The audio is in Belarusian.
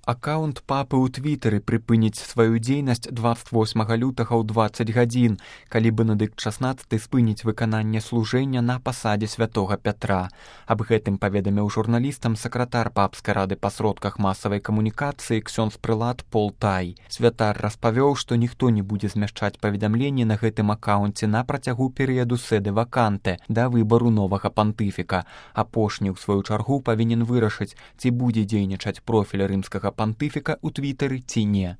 Акаунт папы ў твітары прыпыніць сваю дзейнасць 28 лютага ў 20 гадзін, калі Бенедыкт XVI спыніць выкананне служэння на пасадзе святога Пятра. Аб гэтым паведаміў журналістам сакратар папскай рады па сродках масавай камунікацыі ксёндз-прылад Пол Тай. Святар распавёў, што ніхто не будзе змяшчаць паведамленні на гэтым акаунце на працягу перыяду сэды ваканте да выбару новага пантыфіка. Апошні, у сваю чаргу, павінен вырашыць, ці будзе дзейнічаць профіль рымскага пантыфіка ў твітары ці не.